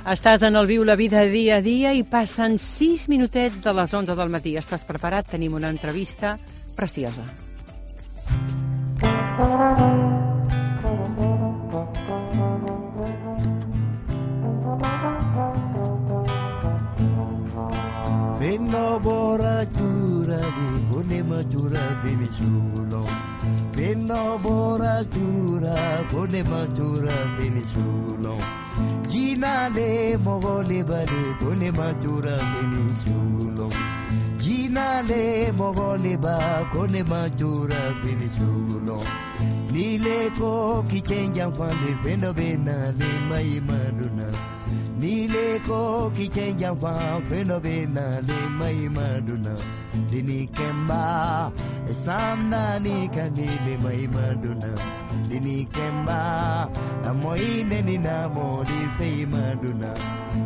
Estàs en el Viu la Vida dia a dia i passen 6 minutets de les 11 del matí. Estàs preparat? Tenim una entrevista preciosa. Veno bora chura di konema chura Venezuela. Veno bora chura konema chura Venezuela. Gina le mogole bale konema chura Venezuela. Gina le mogole ba konema chura Venezuela. Nile ko kichenja fande vendo bena le mai maduna. Nile ko kichenja fa vendo bena le mai maduna. Dini kemba esanda ni kanile mai maduna. Dini kemba amoine ni namo di fei maduna.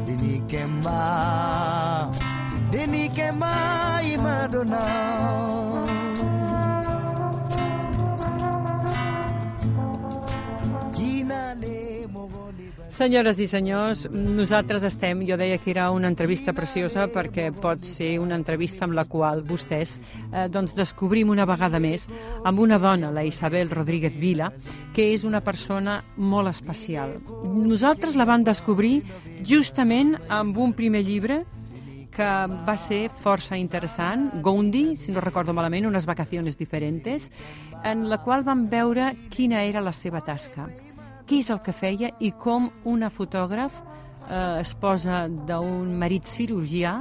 Dini kemba i maduna. Senyores i senyors, nosaltres estem, jo deia que era una entrevista preciosa perquè pot ser una entrevista amb la qual vostès descobrim una vegada més amb una dona, la Isabel Rodríguez Vila, que és una persona molt especial. Nosaltres la vam descobrir justament amb un primer llibre que va ser força interessant, Goundi, si no recordo malament, unes vacaciones diferentes, en la qual vam veure quina era la seva tasca, què és el que feia i com una fotògraf, esposa d'un marit cirurgià,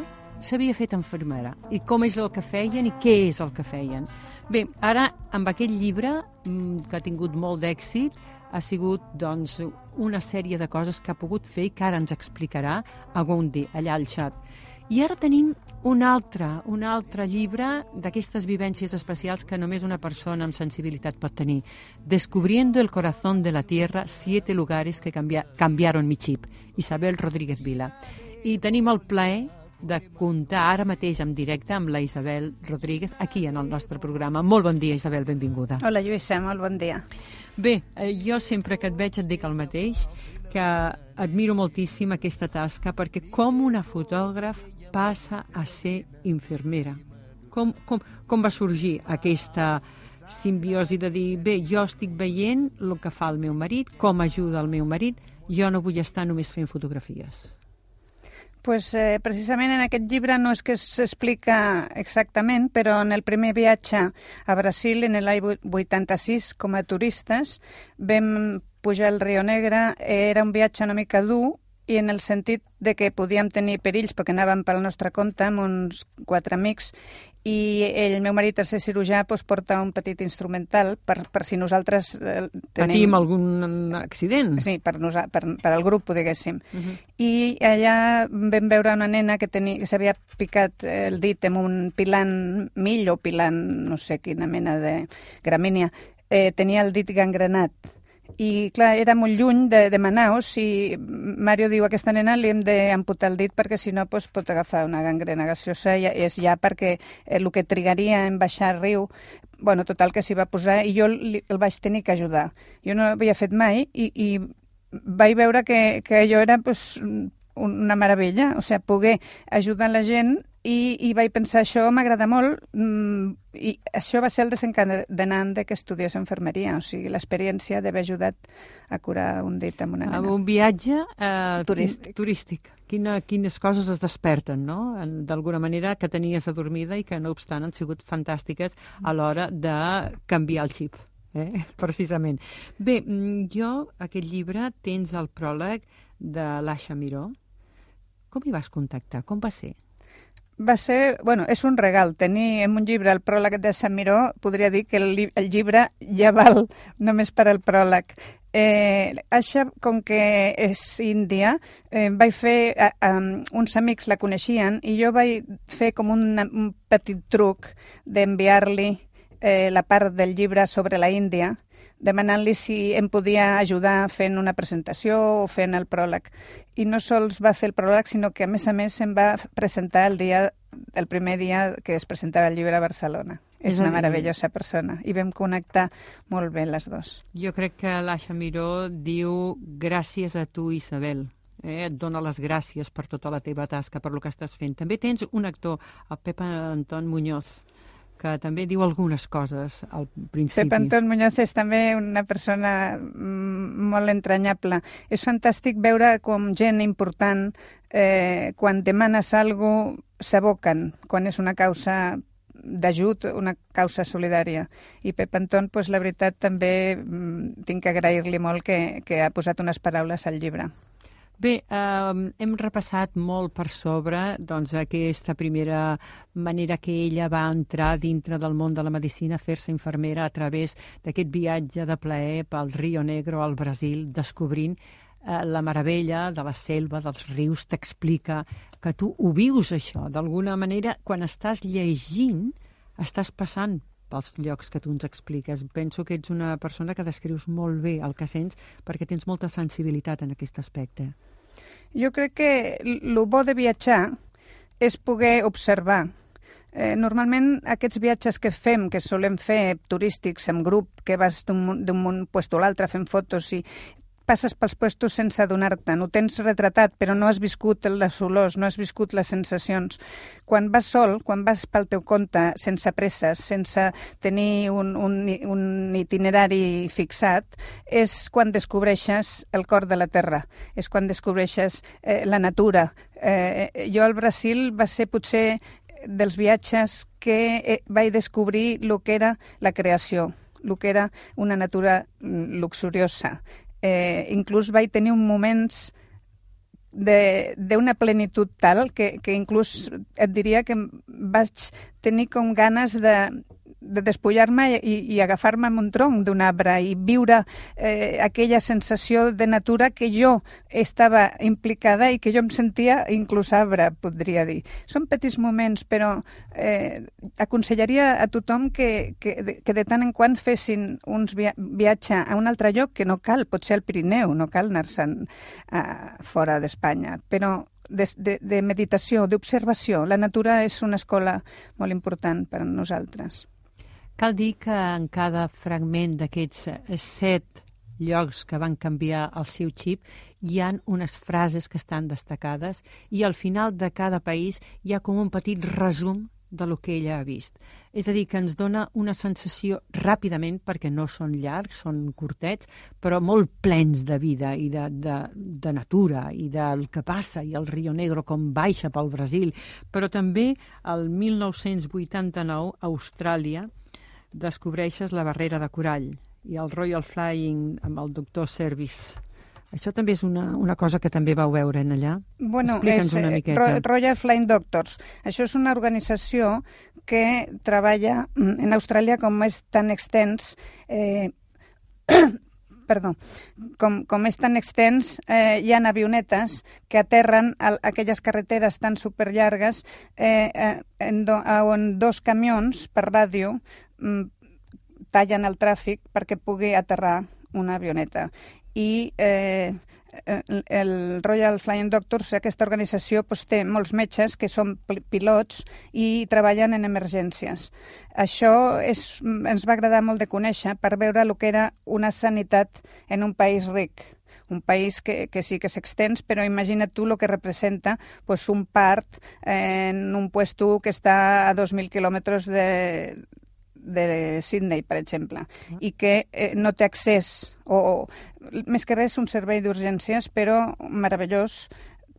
s'havia fet infermera, i com és el que feien i què és el que feien. Bé, ara, amb aquest llibre, que ha tingut molt d'èxit, ha sigut, doncs, una sèrie de coses que ha pogut fer i que ara ens explicarà a Goundi, allà al xat. I ara tenim un altre llibre d'aquestes vivències especials que només una persona amb sensibilitat pot tenir. Descubriendo el corazón de la tierra, 7 lugares que cambiaron mi chip. Isabel Rodríguez Vila. I tenim el plaer de comptar ara mateix en directe amb la Isabel Rodríguez aquí en el nostre programa. Molt bon dia, Isabel, benvinguda. Hola, Lluïssa, molt bon dia. Bé, jo sempre que et veig et dic el mateix, que admiro moltíssim aquesta tasca perquè com una fotògraf passa a ser infermera. Com va sorgir aquesta simbiosi de dir, bé, jo estic veient el que fa el meu marit, com ajuda el meu marit, jo no vull estar només fent fotografies? Pues, precisament en aquest llibre no és que s'explica exactament, però en el primer viatge a Brasil, en l'any 86, com a turistes, vam pujar al Rio Negre. Era un viatge una mica dur, i en el sentit de que podíem tenir perills perquè anàvem pel nostre compte amb uns 4 amics i el meu marit, al ser cirurgià, porta un petit instrumental per si nosaltres patim algun accident. Sí, per al grup, diguéssim. I allà vam veure una nena que s'havia picat el dit amb un pilant mill o pilant, no sé quina mena de gramínia. Tenia el dit gangrenat. I, clar, era molt lluny de Manaus i Mario diu a aquesta nena li hem d'amputar el dit perquè si no pot agafar una gangrena gaseosa i és ja perquè el que trigaria en baixar al riu, bueno, total que s'hi va posar i jo el vaig tenir que ajudar. Jo no havia fet mai i vaig veure que allò era una meravella, o sigui, poder ajudar la gent i vaig pensar, això m'agrada molt i això va ser el desencadenant que estudiés infermeria, o sigui, l'experiència d'haver ajudat a curar un dit amb una nena. Amb un viatge turístic. Quines coses es desperten, no? D'alguna manera que tenies adormida i que, no obstant, han sigut fantàstiques a l'hora de canviar el xip, precisament. Bé, aquest llibre, tens el pròleg de l'Aixa Miró. Com hi vas contactar? Com va ser? Va ser, bueno, és un regal. Tenir en un llibre el pròleg de Sant Miró, podria dir que el llibre ja val només per al pròleg. Aixa, com que és índia, vaig fer, uns amics la coneixien i jo vaig fer com un petit truc d'enviar-li la part del llibre sobre la Índia, demanant-li si em podia ajudar fent una presentació o fent el pròleg. I no sols va fer el pròleg, sinó que a més em va presentar el primer dia que es presentava el llibre a Barcelona. És una meravellosa persona i vam connectar molt bé les dues. Jo crec que l'Aixa Miró diu gràcies a tu, Isabel. et dona les gràcies per tota la teva tasca, per lo que estàs fent. També tens un actor, el Pep Anton Muñoz, que també diu algunes coses al principi. Pep Anton Muñoz és també una persona molt entranyable. És fantàstic veure com gent important, quan demanes alguna cosa, s'aboquen, quan és una causa d'ajut, una causa solidària. I Pep Anton, doncs, la veritat, també tinc que agrair-li molt que ha posat unes paraules al llibre. Bé, hem repassat molt per sobre doncs, aquesta primera manera que ella va entrar dintre del món de la medicina, a fer-se infermera a través d'aquest viatge de plaer pel Rio Negro al Brasil, descobrint la meravella de la selva, dels rius. T'explica que tu ho vius, això. D'alguna manera, quan estàs llegint, estàs passant pels llocs que tu ens expliques. Penso que ets una persona que descrius molt bé el que sents, perquè tens molta sensibilitat en aquest aspecte. Jo crec que el bo de viatjar és poder observar. Normalment aquests viatges que fem, que solem fer turístics en grup, que vas d'un puesto a l'altre fent fotos i passes pels puestos sense adonar-te'n, ho tens retratat, però no has viscut les olors, no has viscut les sensacions. Quan vas sol, quan vas pel teu compte, sense presses, sense tenir un itinerari fixat, és quan descobreixes el cor de la terra, és quan descobreixes la natura. Jo al Brasil va ser potser dels viatges que vaig descobrir el que era la creació, el que era una natura luxuriosa. Inclús vaig tenir moments d'una plenitud tal que inclús et diria que vaig tenir com ganes de despullar-me i agafar-me amb un tronc d'un arbre i viure aquella sensació de natura que jo estava implicada i que jo em sentia inclús arbre, podria dir. Són petits moments, però aconsellaria a tothom que de tant en quant fessin uns viatge a un altre lloc, que no cal, pot ser al Pirineu, no cal anar-se'n fora d'Espanya, però de meditació, d'observació. La natura és una escola molt important per a nosaltres. Cal dir que en cada fragment d'aquests 7 llocs que van canviar el seu xip hi ha unes frases que estan destacades i al final de cada país hi ha com un petit resum de lo que ella ha vist. És a dir, que ens dona una sensació ràpidament, perquè no són llargs, són curtets, però molt plens de vida i de natura i del que passa, i el Rio Negro com baixa pel Brasil. Però també el 1989, a Austràlia, descobreixes la barrera de corall i el Royal Flying amb el doctor Service. Això també és una cosa que també vau veure en allà? Bueno, explica'ns una miqueta. Royal Flying Doctors. Això és una organització que treballa en Austràlia, com és tan extens... Perdó. Com és tan extens, hi ha avionetes que aterren a aquelles carreteres tan superllargues on 2 camions per ràdio tallen el tràfic perquè pugui aterrar una avioneta. I el Royal Flying Doctors, aquesta organització, té molts metges que són pilots i treballen en emergències. Això ens va agradar molt de conèixer per veure el que era una sanitat en un país ric. Un país que sí que s'extens, però imagina't tu el que representa un part en un puesto que està a 2.000 quilòmetres de Sydney, per exemple, i que no té accés, o més que res un servei d'urgències, però meravellós,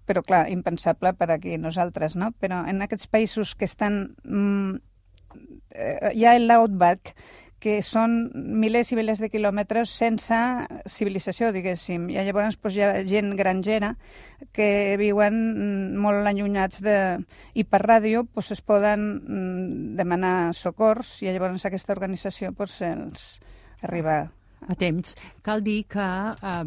però clar, impensable per aquí nosaltres, no? Però en aquests països que estan... hi ha l'outback, que són milers i milers de quilòmetres sense civilització, diguéssim. I llavors hi ha gent grangera que viuen molt allunyats i per ràdio es poden demanar socors i llavors aquesta organització els arriba a temps. Cal dir que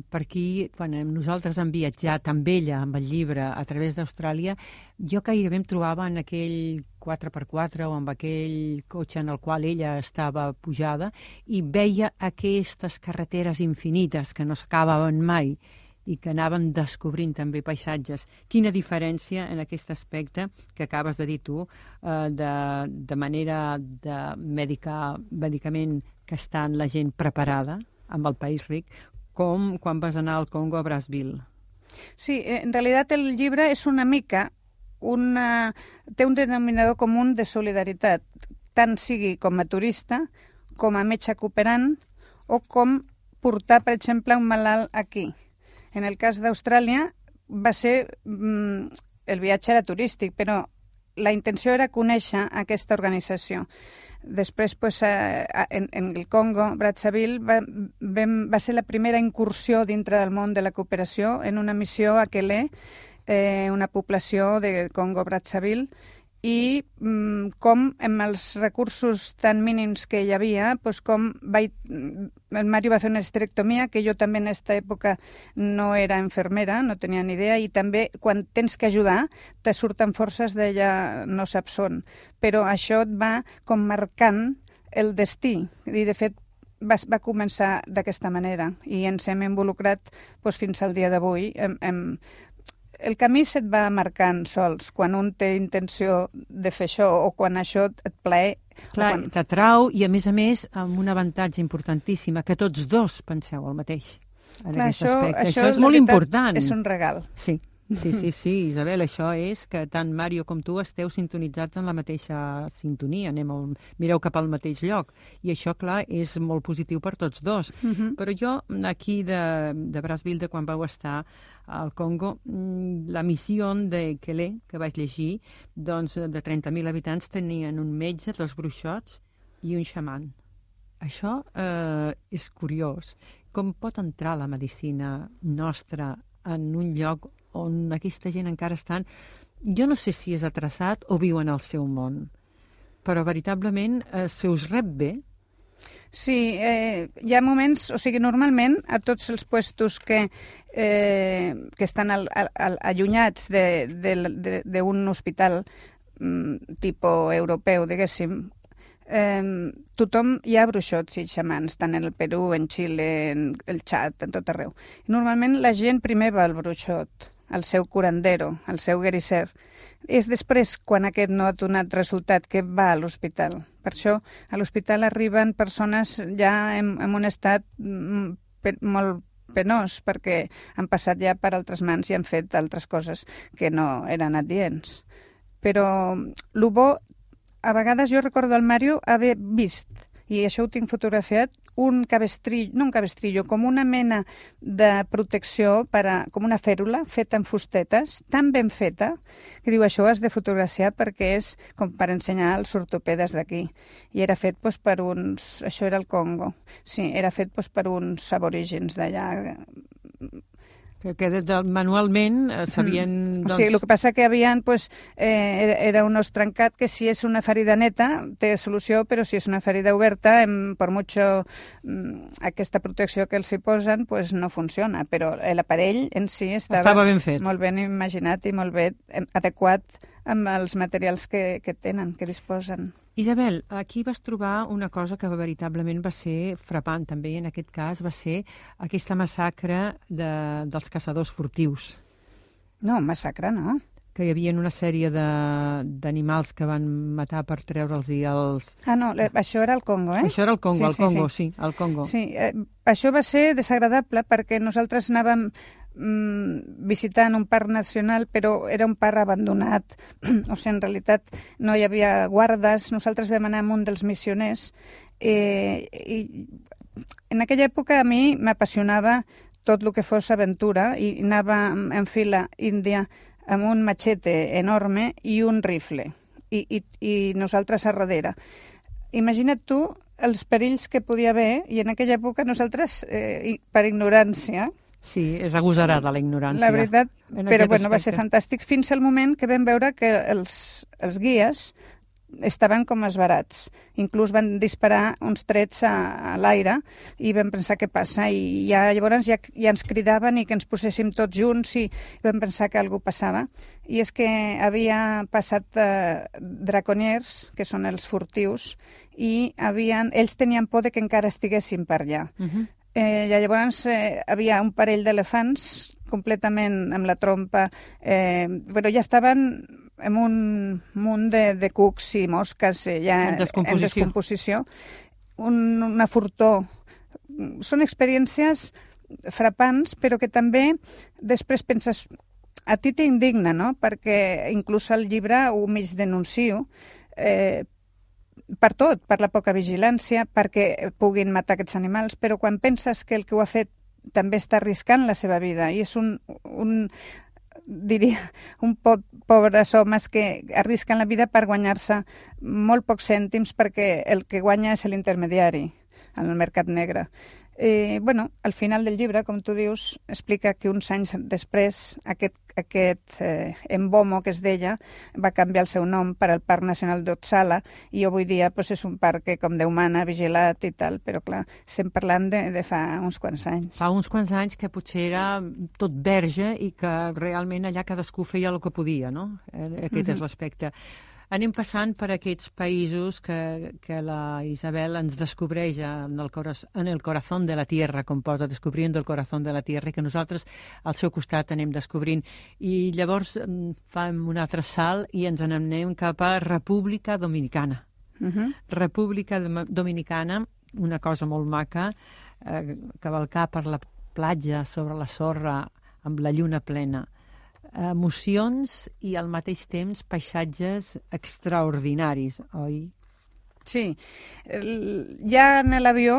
per aquí, quan nosaltres hem viatjat amb ella, amb el llibre, a través d'Austràlia, jo gairebé em trobava en aquell 4x4 o amb aquell cotxe en el qual ella estava pujada i veia aquestes carreteres infinites que no s'acabaven mai i que anaven descobrint també paisatges. Quina diferència en aquest aspecte que acabes de dir tu, de manera de medicament que està la gent preparada amb el país ric, com quan vas anar al Congo a Brazzaville. Sí, en realitat el llibre és una mica té un denominador comú de solidaritat, tant sigui com a turista, com a metge cooperant o com portar, per exemple, un malalt aquí. En el cas d'Austràlia va ser... el viatge era turístic, però la intenció era conèixer aquesta organització. Després, en el Congo, Brazzaville, va ser la primera incursió dintre del món de la cooperació en una missió a Quelé, una població de Congo-Brazzaville, i com amb els recursos tan mínims que hi havia, com el Mario va fer una esterectomia, que jo també en aquesta època no era infermera, no tenia ni idea, i també quan tens que ajudar te surten forces d'ella no saps on. Però això et va com marcant el destí, i de fet va començar d'aquesta manera, i ens hem involucrat fins al dia d'avui. El camí se't va marcant sols, quan un té intenció de fer això o quan això et plaer. Clar, t'atrau i, a més, amb un avantatge importantíssim, que tots dos penseu el mateix en aquest aspecte. Això és molt important. És un regal. Sí, Isabel, això és que tant Mario com tu esteu sintonitzats en la mateixa sintonia, mireu cap al mateix lloc, i això, clar, és molt positiu per tots dos. Però jo, aquí de Brazzaville, quan vau estar al Congo, la missió de Quelé, que vaig llegir, doncs de 30.000 habitants tenien un metge, 2 bruixots i un xaman. Això és curiós. Com pot entrar la medicina nostra en un lloc on aquesta gent encara estan, jo no sé si és atreçat o viuen al seu món, però veritablement se us rep bé? Sí, hi ha moments, o sigui, normalment a tots els puestos que estan allunyats d'un hospital tipus europeu, diguéssim, tothom hi ha bruixots i xamans, tant en el Perú, en Xile, en el Txad, en tot arreu. Normalment la gent primer va al bruixot, al seu curandero, al seu guerisser. És després, quan aquest no ha donat resultat, que va a l'hospital. Per això a l'hospital arriben persones ja en un estat molt penós, perquè han passat ja per altres mans i han fet altres coses que no eren adients. Però el bo, a vegades jo recordo al Mario haver vist, i això ho tinc fotografiat, un cabestrillo, no un cabestrillo, com una mena de protecció, com una fèrula feta en fustetes, tan ben feta, que diu, això has de fotografiar perquè és com per ensenyar als ortopedes d'aquí. I era fet per uns... Això era el Congo. Sí, era fet per uns aborígens d'allà. Que manualment sabien... O sigui, el que passa que havien, era un os trencat que si és una ferida neta té solució, però si és una ferida oberta, per mucho aquesta protecció que els hi posen, no funciona. Però l'aparell en si estava ben fet, molt ben imaginat i molt bé adequat amb els materials que tenen, que disposen. Isabel, aquí vas trobar una cosa que veritablement va ser frapant, també, en aquest cas, va ser aquesta massacre dels caçadors furtius. No, massacre no. Que hi havia una sèrie d'animals que van matar per treure'ls els... Ah, no, això era el Congo, eh? Això era el Congo, sí, el Congo. Sí, això va ser desagradable perquè nosaltres anàvem visitant un parc nacional, però era un parc abandonat. O sigui, en realitat no hi havia guardes. Nosaltres vam anar amb un dels missioners i en aquella època a mi m'apassionava tot el que fos aventura i anava en fila índia amb un machete enorme i un rifle i nosaltres a darrere. Imagina't tu els perills que podia haver, i en aquella època nosaltres, per ignorància... Sí, és agosarada la ignorància. La veritat, però va ser fantàstic fins al moment que vam veure que els guies estaven com esbarats. Inclús van disparar uns trets a l'aire i vam pensar què passa, i llavors ja ens cridaven i que ens poséssim tots junts i vam pensar que alguna cosa passava. I és que havia passat draconiers, que són els furtius, i ells tenien por de que encara estiguessin per allà. Llavors havia un parell d'elefants completament amb la trompa, però ja estaven amb un munt de cucs i mosques ja en descomposició. Una furtó. Són experiències frapants, però que també després penses, a ti t'indigna, no? Perquè inclús al llibre ho mig denuncio, per tot, per la poca vigilància, perquè puguin matar aquests animals, però quan penses que el que ho ha fet també està arriscant la seva vida, i és diria, un pobres homes que arrisquen la vida per guanyar-se molt pocs cèntims, perquè el que guanya és l'intermediari en el mercat negre. Al final del llibre, com tu dius, explica que uns anys després aquest Embomo, que es deia, va canviar el seu nom per al Parc Nacional d'Otsala, i avui dia és un parc que, com Déu mana, vigilat i tal, però clar, estem parlant de fa uns quants anys. Fa uns quants anys que potser era tot verge i que realment allà cadascú feia el que podia, no? Aquest és l'aspecte. Anem passant per aquests països que la Isabel ens descobreix en el corazón de la tierra, com posa, descobrint el corazón de la tierra, i que nosaltres al seu costat anem descobrint. I llavors fem un altre salt i ens n'anem cap a República Dominicana. República Dominicana, una cosa molt maca, cavalcar per la platja sobre la sorra amb la lluna plena. Emocions i al mateix temps paisatges extraordinaris, oi? Sí. Ja en l'avió,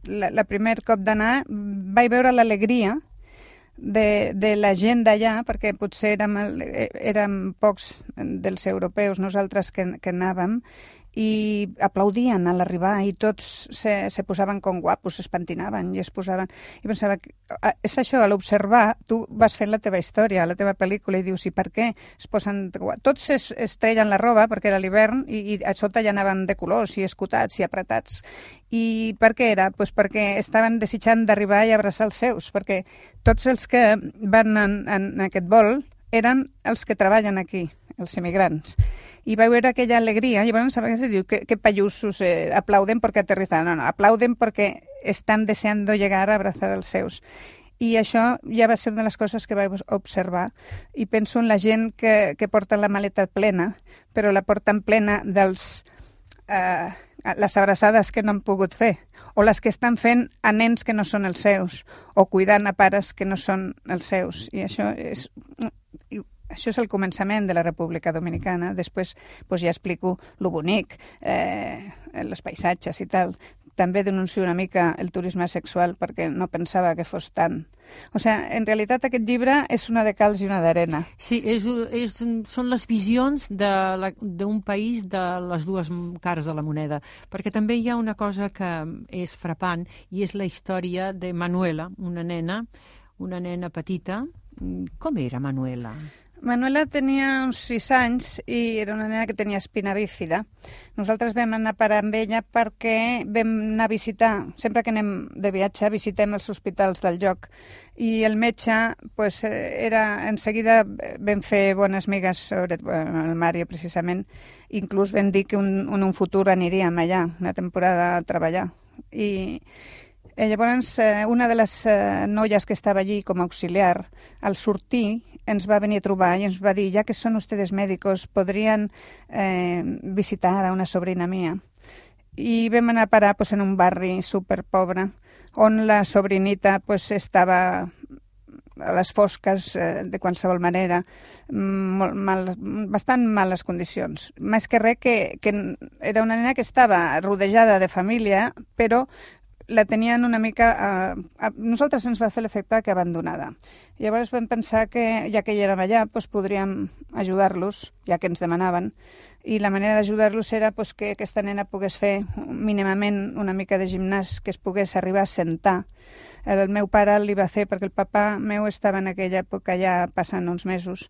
la primer cop d'anar, vaig veure l'alegria de la gent d'allà, perquè potser érem pocs dels europeus, nosaltres que anàvem, i aplaudien a l'arribar i tots se posaven com guapos, es pentinaven i es posaven... I pensava, és això, a l'observar, tu vas fent la teva història, la teva pel·lícula, i dius, i per què es posen... Tots es treien la roba perquè era l'hivern i a sota ja anaven de colors i escotats i apretats. I per què era? Pues perquè estaven desitjant d'arribar i abraçar els seus, perquè tots els que van en aquest vol eren els que treballen aquí, els immigrants. Y va a ver aquella alegría, y bueno, ¿sabes qué se dice? Que payusos aplauden porque aterrizan. No, aplauden porque estan deseando llegar a abrazar els seus. I això ja va ser una de les coses que vaig observar. I penso en la gent que porta la maleta plena, però la porten plena dels... les abraçades que no han pogut fer, o les que estan fent a nens que no són els seus, o cuidant a pares que no són els seus. I això és el començament de la República Dominicana. Després ja explico lo bonic, els paisatges i tal. També denuncio una mica el turisme sexual perquè no pensava que fos tant. O sigui, en realitat aquest llibre és una de calç i una d'arena. Sí, són les visions d'un país de les dues cares de la moneda, perquè també hi ha una cosa que és frapant i és la història de Manuela, una nena petita. Com era Manuela? Manuela tenia uns 6 anys i era una nena que tenia espina bífida. Nosaltres vam anar a parar amb ella perquè vam anar a visitar, sempre que anem de viatge, visitem els hospitals del lloc. I el metge, en seguida vam fer bones migues sobre el Mario, precisament. Inclús vam dir que en un futur aniríem allà, una temporada a treballar. I llavors, una de les noies que estava allí com a auxiliar, al sortir, ens va venir a trobar i ens va dir, ja que són ustedes médicos, podrien visitar a una sobrina mía. I vam anar a parar en un barri superpobre, on la sobrinita estava a les fosques de qualsevol manera, bastant males condicions. Més que res que era una nena que estava rodejada de família, però la tenien una mica... A nosaltres ens va fer l'efecte que abandonada. Llavors vam pensar que, ja que hi érem allà, podríem ajudar-los, ja que ens demanaven, i la manera d'ajudar-los era que aquesta nena pogués fer mínimament una mica de gimnàs, que es pogués arribar a sentar. El meu pare li va fer, perquè el papa meu estava en aquella època ja passant uns mesos.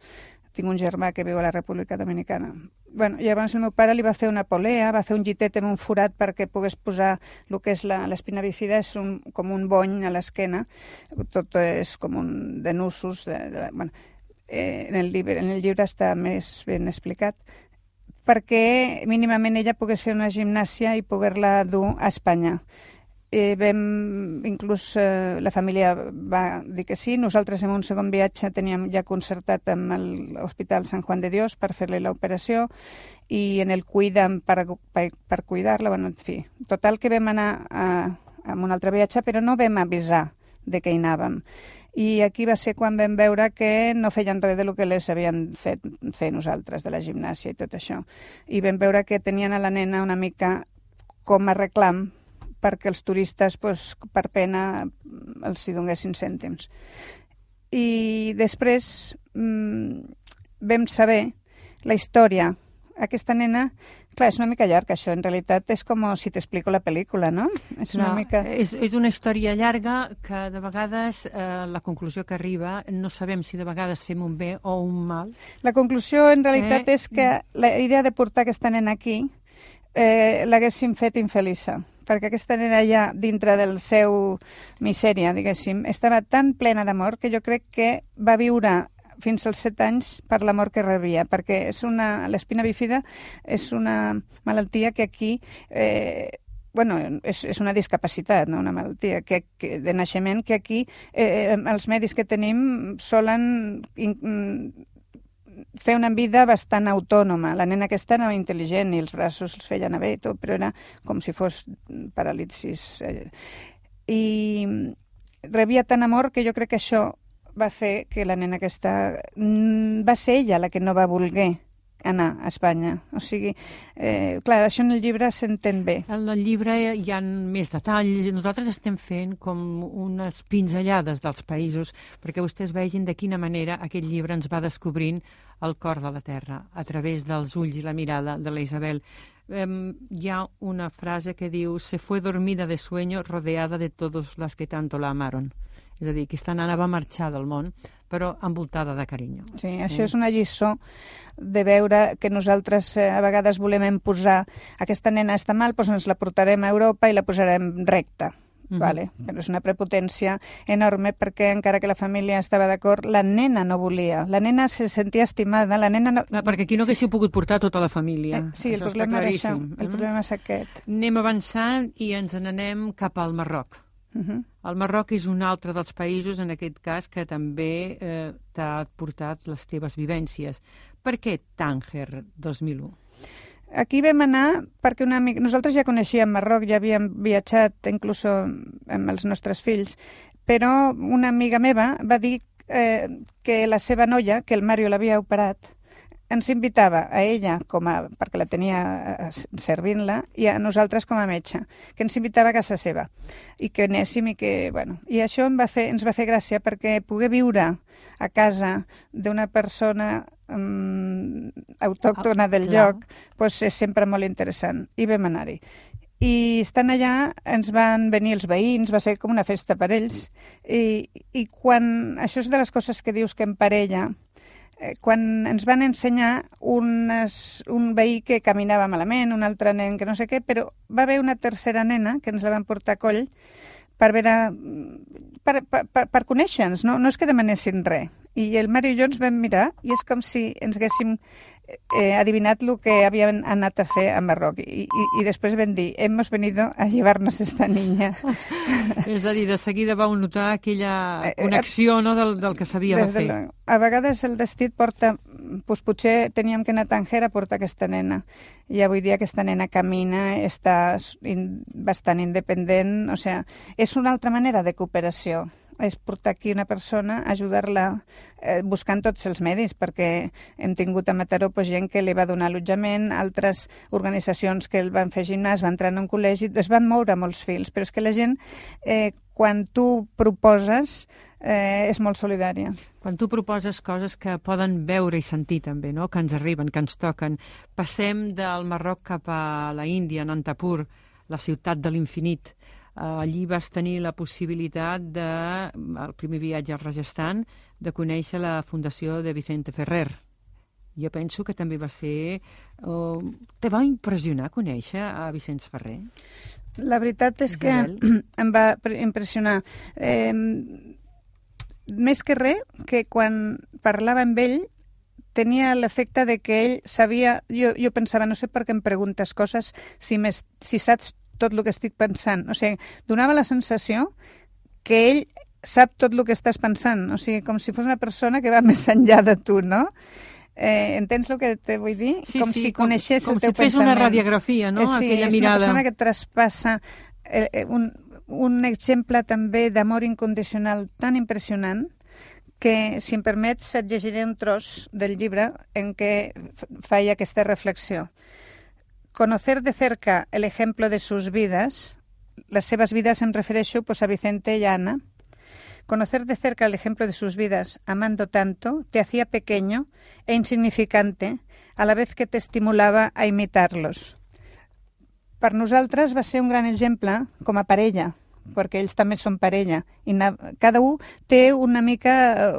Tinc un germà que viu a la República Dominicana. Llavors el meu pare li va fer una polea, va fer un llitet amb un forat perquè pogués posar el que és l'espina bífida, és com un bony a l'esquena, tot és com de nusos. En el llibre està més ben explicat, perquè mínimament ella pogués fer una gimnàsia i poder-la dur a Espanya. Inclús la família va dir que sí. Nosaltres en un segon viatge teníem ja concertat amb l'Hospital Sant Juan de Dios per fer-li l'operació i en el cuida'm per cuidar-la. En fi, total que vam anar en un altre viatge, però no vam avisar de què hi anàvem. I aquí va ser quan vam veure que no feien res del que les havien fet fer nosaltres, de la gimnàsia i tot això. I vam veure que tenien a la nena una mica com a reclam perquè els turistes, per pena, els hi donessin cèntims. I després vam saber la història. Aquesta nena, clar, és una mica llarg, això. En realitat és com si t'explico la pel·lícula, no? És una història llarga que de vegades la conclusió que arriba no sabem si de vegades fem un bé o un mal. La conclusió en realitat és que la idea de portar aquesta nena aquí l'haguéssim fet infeliça, perquè aquesta nena ja, dintre del seu misèria, diguéssim, estava tan plena d'amor que jo crec que va viure fins als 7 anys per l'amor que rebia, perquè l'espina bífida és una malaltia que aquí, és una discapacitat, no? Una malaltia de naixement que aquí els medis que tenim solen fer una vida bastant autònoma. La nena aquesta era intel·ligent i els braços els feia anar bé i tot, però era com si fos paràlisis. I rebia tant amor que jo crec que això va fer que la nena aquesta va ser ella la que no va voler anar a Espanya. O sigui, clar, això en el llibre s'entén bé. En el llibre hi ha més detalls. Nosaltres estem fent com unes pinzellades dels països perquè vostès vegin de quina manera aquest llibre ens va descobrint el cor de la terra a través dels ulls i la mirada de la Isabel. Hi ha una frase que diu: se fue dormida de sueño rodeada de todos las que tanto la amaron. És a dir, aquesta nana va marxar del món, però envoltada de carinyo. Sí, això és una lliçó de veure que nosaltres a vegades volem imposar aquesta nena està mal, doncs ens la portarem a Europa i la posarem recta. Vale? Però és una prepotència enorme perquè encara que la família estava d'acord, la nena no volia. La nena se sentia estimada, la nena no... perquè aquí no haguéssiu pogut portar tota la família. Sí, el problema era això. El problema és aquest. Anem avançant i ens n'anem cap al Marroc. El Marroc és un altre dels països, en aquest cas, que també t'ha portat les teves vivències. Per què Tànger 2001? Aquí vam anar perquè una amiga... Nosaltres ja coneixíem Marroc, ja havíem viatjat inclús amb els nostres fills, però una amiga meva va dir que la seva noia, que el Mario l'havia operat, ens invitava a ella, perquè la tenia servint-la, i a nosaltres com a metge, que ens invitava a casa seva, i que anéssim i que... I això ens va fer gràcia perquè poder viure a casa d'una persona autòctona del lloc és sempre molt interessant. I vam anar-hi. I estant allà ens van venir els veïns, va ser com una festa per ells, i quan... Això és de les coses que dius que en parella... Quan ens van ensenyar un veí que caminava malament, un altre nen que no sé què, però va haver una tercera nena que ens la van portar a coll per conèixer-nos, no és que demanessin res. I el Mario i jo ens vam mirar i és com si ens haguéssim adivinat el que havíem anat a fer a Marroc. I després vam dir, hemos venido a llevarnos esta niña. És a dir, de seguida vau notar aquella connexió del que s'havia de fer. A vegades el destí et porta... potser teníem que anar a Tànger a portar aquesta nena. I avui dia aquesta nena camina, està bastant independent. O sigui, és una altra manera de cooperació. És portar aquí una persona, ajudar-la buscant tots els medis, perquè hem tingut a Mataró gent que li va donar allotjament, altres organitzacions que el van fer gimnàs, va entrar en un col·legi, es van moure molts fils, però és que la gent, quan tu proposes, és molt solidària. Quan tu proposes coses que poden veure i sentir també, no? Que ens arriben, que ens toquen. Passem del Marroc cap a la Índia, Nantapur, la ciutat de l'infinit. Allí vas tenir la possibilitat el primer viatge al Rajasthan, de conèixer la fundació de Vicente Ferrer. Jo penso que també va ser... Te va impressionar conèixer a Vicenç Ferrer? La veritat és que em va impressionar. Més que res, que quan parlava amb ell tenia l'efecte de que ell sabia... Jo pensava, no sé per què em preguntes coses si saps tot el que estic pensant. O sigui, donava la sensació que ell sap tot el que estàs pensant. O sigui, com si fos una persona que va més enllà de tu, no? Entens el que te vull dir? Sí, com si coneixés el teu pensament. Com si fes una radiografia, no? Sí, aquella mirada. És una persona que traspassa un exemple també d'amor incondicional tan impressionant que, si em permets, et llegiré un tros del llibre en què feia aquesta reflexió. Conocer de cerca el ejemplo de sus vidas, las seves vidas em refereixo pues, a Vicente y a Ana. Conocer de cerca el ejemplo de sus vidas, amando tanto, te hacía pequeño e insignificante, a la vez que te estimulava a imitarlos. Per nosaltres va ser un gran exemple com a parella, perquè ells també són parella, i cada un té una mica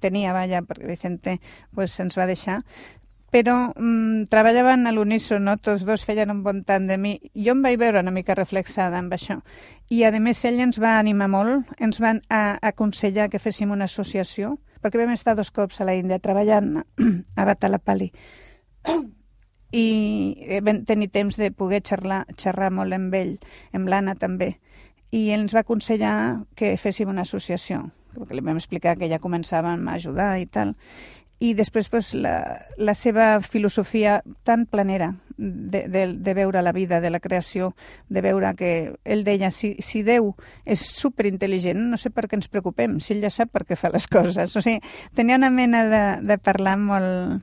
tenia, perquè Vicente pues, ens va deixar, però treballaven a l'unísono, tots dos feien un bon tant de mi. Jo em vaig veure una mica reflexada amb això. I, a més, ell ens va animar molt, ens van aconsellar que féssim una associació, perquè vam estar 2 cops a la Índia treballant a Batalapalli. I vam tenir temps de poder xerrar molt amb ell, amb l'Anna també. I ell ens va aconsellar que féssim una associació, perquè li vam explicar que ja començàvem a ajudar i tal. I després pues, la seva filosofia tan planera de veure la vida, de la creació, de veure que ell deia, si Déu és superintel·ligent, no sé per què ens preocupem, si ell ja sap per què fa les coses. O sigui, tenia una mena de parlar molt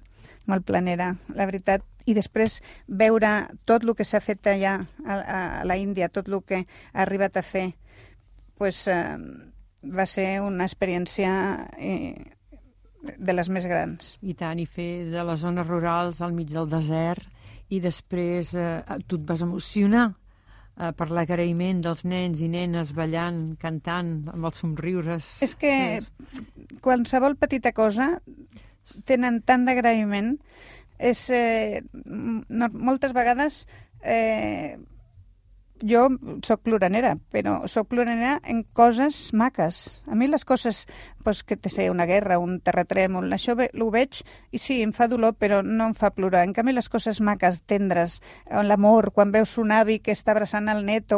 planera, la veritat. I després veure tot el que s'ha fet allà a la Índia, tot el que ha arribat a fer, pues, va ser una experiència de les més grans. I tant, i fer de les zones rurals al mig del desert, i després tu et vas emocionar per l'agraïment dels nens i nenes ballant, cantant, amb els somriures. És que qualsevol petita cosa tenen tant d'agraïment. Moltes vegades jo soc ploranera, però soc ploranera en coses maques. A mi les coses, pues, que té una guerra, un terratrèmol, això ho veig i sí, em fa dolor, però no em fa plorar. En canvi, les coses maques, tendres, l'amor, quan veus un avi que està abraçant el net,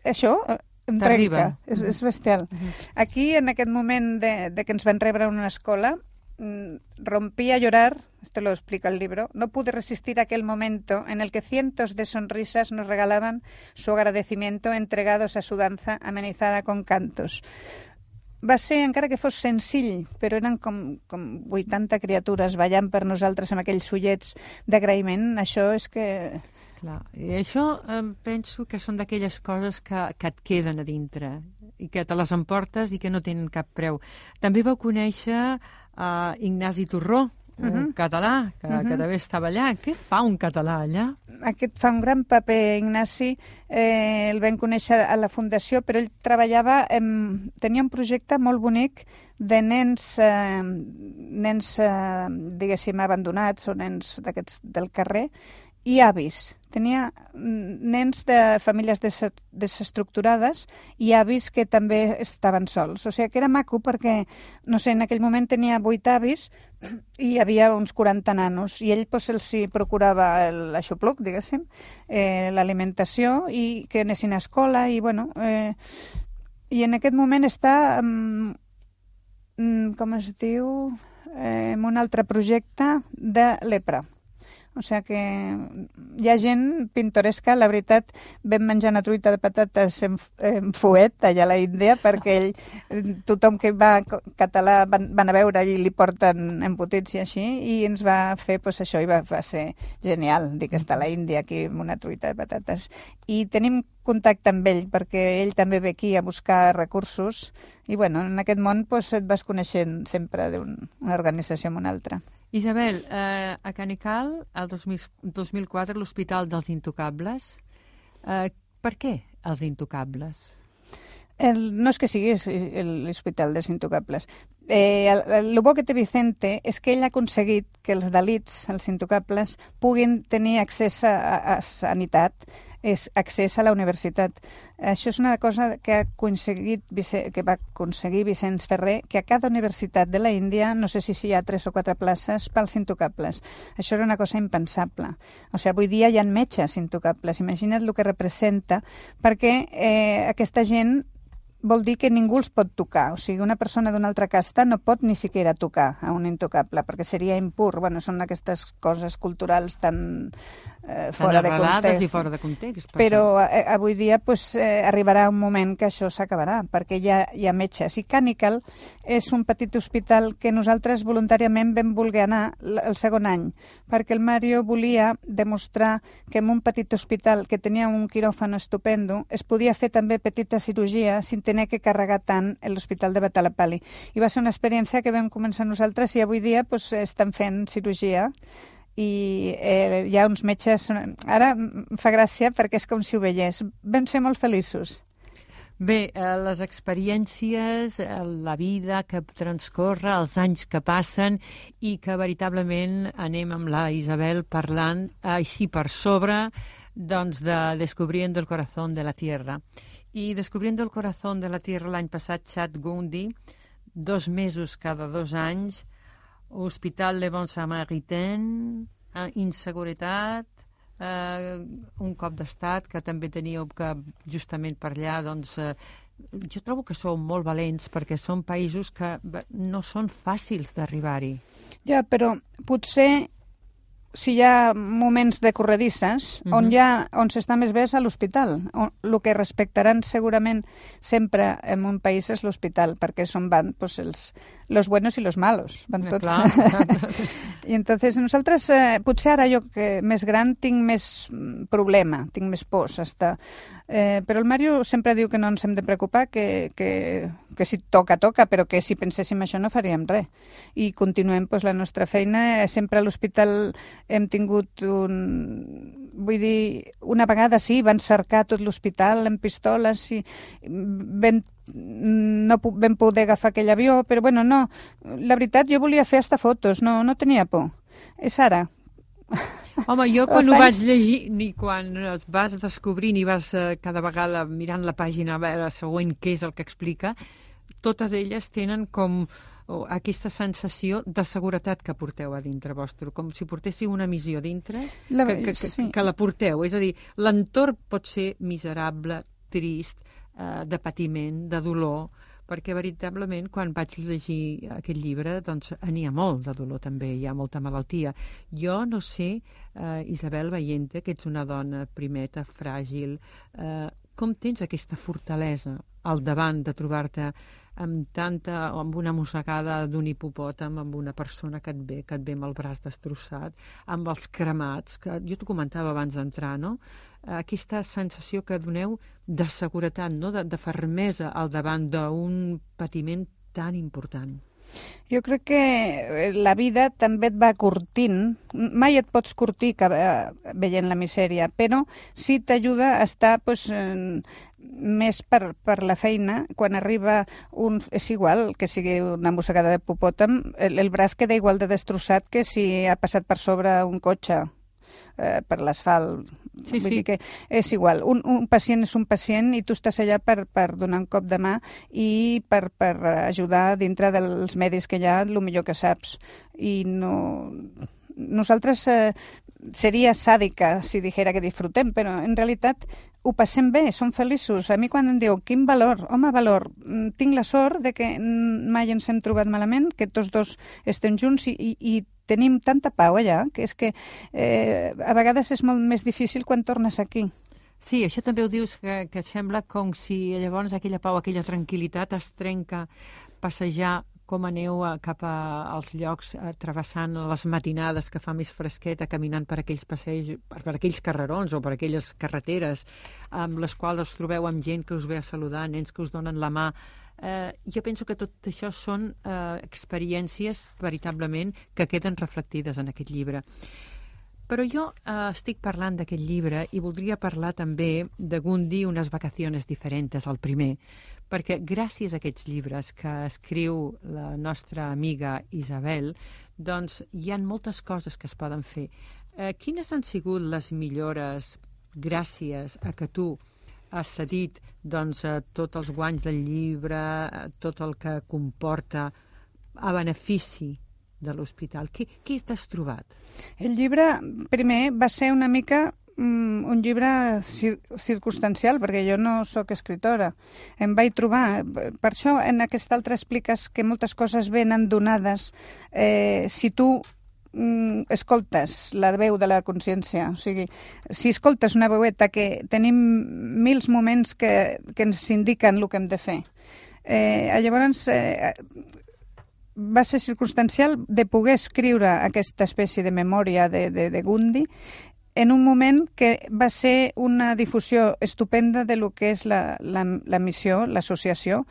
això em trenca, és bestial. Aquí, en aquest moment de que ens van rebre en una escola, rompí a llorar, esto lo explica el libro, no pude resistir aquel momento en el que cientos de sonrisas nos regalaban su agradecimiento entregados a su danza amenizada con cantos. Va ser, encara que fos senzill, però eren com 80 criatures ballant per nosaltres amb aquells ullets d'agraïment. Això és que... Clar, i això penso que són d'aquelles coses que et queden a dintre i que te les emportes i que no tenen cap preu. També vau conèixer Ignasi Torró, un català que també estava allà. Què fa un català allà? Aquest fa un gran paper, Ignasi. El vam conèixer a la Fundació, però ell treballava... Tenia un projecte molt bonic de nens diguéssim, abandonats o nens d'aquests del carrer i avis. Tenia nens de famílies desestructurades i avis que també estaven sols. O sigui que era maco perquè, no sé, en aquell moment tenia 8 avis i hi havia uns 40 nanos. I ell pues, els procurava l'aixopluc, diguéssim, l'alimentació i que anessin a escola. I, bueno, i en aquest moment està, com es diu, en un altre projecte de lepra. O sigui que hi ha gent pintoresca. La veritat, vam menjar una truita de patates en fuet allà a la Índia perquè tothom que va català van a veure i li porten embotits i així, i ens va fer pues, això, i va ser genial dir que està a la Índia aquí amb una truita de patates. I tenim contacte amb ell perquè ell també ve aquí a buscar recursos i bueno, en aquest món pues, et vas coneixent sempre d'una organització amb una altra. Isabel, a Canical, el 2004, l'Hospital dels Intocables. Per què els Intocables? No és que sigui l'Hospital dels Intocables. El bo que té Vicente és que ell ha aconseguit que els dalits, els intocables, puguin tenir accés a sanitat, és accés a la universitat. Això és una cosa que va aconseguir Vicenç Ferrer, que a cada universitat de la Índia, no sé si hi ha 3 o 4 places pels intocables. Això era una cosa impensable. O sigui, avui dia hi ha metges intocables. Imagina't el que representa, perquè aquesta gent vol dir que ningú els pot tocar. O sigui, una persona d'una altra casta no pot ni siquiera tocar a un intocable, perquè seria impur. Bueno, són aquestes coses culturals tan fora de context. I fora de context. Però avui dia arribarà un moment que això s'acabarà, perquè ja hi ha metges. I Cànical és un petit hospital que nosaltres voluntàriament vam voler anar el segon any, perquè el Mario volia demostrar que en un petit hospital que tenia un quiròfan estupendo es podia fer també petita cirurgia sin tenir que carregar tant l'hospital de Batalapalli. I va ser una experiència que vam començar nosaltres i avui dia estan fent cirurgia i hi ha uns metges... Ara em fa gràcia perquè és com si ho veiés. Vam ser molt feliços. Bé, les experiències, la vida que transcorre, els anys que passen i que veritablement anem amb la Isabel parlant així per sobre doncs, de Descubriendo el corazón de la tierra. I Descubriendo el corazón de la tierra l'any passat, Chad Gundy, 2 mesos cada 2 anys, Hospital Le Bon Samaritain, inseguretat, un cop d'estat que també teníeu que justament per allà, doncs, jo trobo que sou molt valents perquè són països que no són fàcils d'arribar-hi. Ja, però potser si hi ha moments de corredisses, on s'està més bé és a l'hospital. El que respectaran segurament sempre en un país és l'hospital, perquè són van los buenos y los malos. Van tots. I entonces nosaltres, potser ara jo que més gran tinc més problema, tinc més pors. Però el Mario sempre diu que no ens hem de preocupar, que si toca, toca, però que si penséssim això no faríem res. I continuem la nostra feina. Sempre a l'hospital hem tingut vull dir, una vegada sí, van cercar tot l'hospital amb pistoles i no vam poder agafar aquell avió, però bueno, no. La veritat, jo volia fer hasta fotos, no tenia por. És ara. Home, jo quan ho vaig llegir, ni quan es vas descobrint i vas cada vegada mirant la pàgina a veure següent què és el que explica, totes elles tenen com aquesta sensació de seguretat que porteu a dintre vostre, com si portéssiu una missió dintre, que la porteu. És a dir, l'entorn pot ser miserable, trist, de patiment, de dolor, perquè veritablement quan vaig llegir aquest llibre doncs n'hi ha molt de dolor també, hi ha molta malaltia. Jo no sé, Isabel, veient-te, que ets una dona primeta, fràgil, com tens aquesta fortalesa al davant de trobar-te amb una mossegada d'un hipopòtam, amb una persona que et ve amb el braç destrossat, amb els cremats, que jo t'ho comentava abans d'entrar, no? Aquesta sensació que doneu de seguretat, no? De fermesa al davant d'un patiment tan important. Jo crec que la vida també et va curtint. Mai et pots curtir veient la misèria, però sí t'ajuda a estar més per la feina. Quan arriba és igual que sigui una mossegada de hipopòtam, el braç queda igual de destrossat que si ha passat per sobre un cotxe per l'asfalt. Sí. Vull dir que és igual. Un pacient és un pacient i tu estàs allà per donar un cop de mà i per ajudar dintre dels medis que hi ha el millor que saps. I nosaltres seria sàdica si dijera que disfrutem, però en realitat ho passem bé, som feliços. A mi quan em diu, quin valor? Home, valor. Tinc la sort de que mai ens hem trobat malament, que tots dos estem junts i tenim tanta pau allà, que és que a vegades és molt més difícil quan tornes aquí. Sí, això també ho dius, que sembla com si llavors aquella pau, aquella tranquil·litat es trenca passejar com aneu cap als llocs, travessant les matinades que fa més fresqueta, caminant per aquells passeigs, per aquells carrerons o per aquelles carreteres amb les quals us trobeu amb gent que us ve a saludar, nens que us donen la mà. Jo penso que tot això són experiències veritablement que queden reflectides en aquest llibre. Però jo estic parlant d'aquest llibre i voldria parlar també de Gundy, unes vacaciones diferentes, el primer, perquè gràcies a aquests llibres que escriu la nostra amiga Isabel, doncs hi ha moltes coses que es poden fer. Quines han sigut les millores gràcies a que tu has cedit doncs, tots els guanys del llibre, tot el que comporta a benefici de l'hospital? Què t'has trobat? El llibre, primer, va ser una mica un llibre circumstancial, perquè jo no sóc escritora. Em vaig trobar. Per això en aquest altre expliques que moltes coses venen donades. Si tu escoltes la veu de la consciència, o sigui, si escoltes una veueta que tenim mils moments que ens indiquen el que hem de fer. Llavors, va ser circumstancial de poder escriure aquesta espècie de memòria de Gundry en un moment que va ser una difusió estupenda de lo que és la missió, l'associació.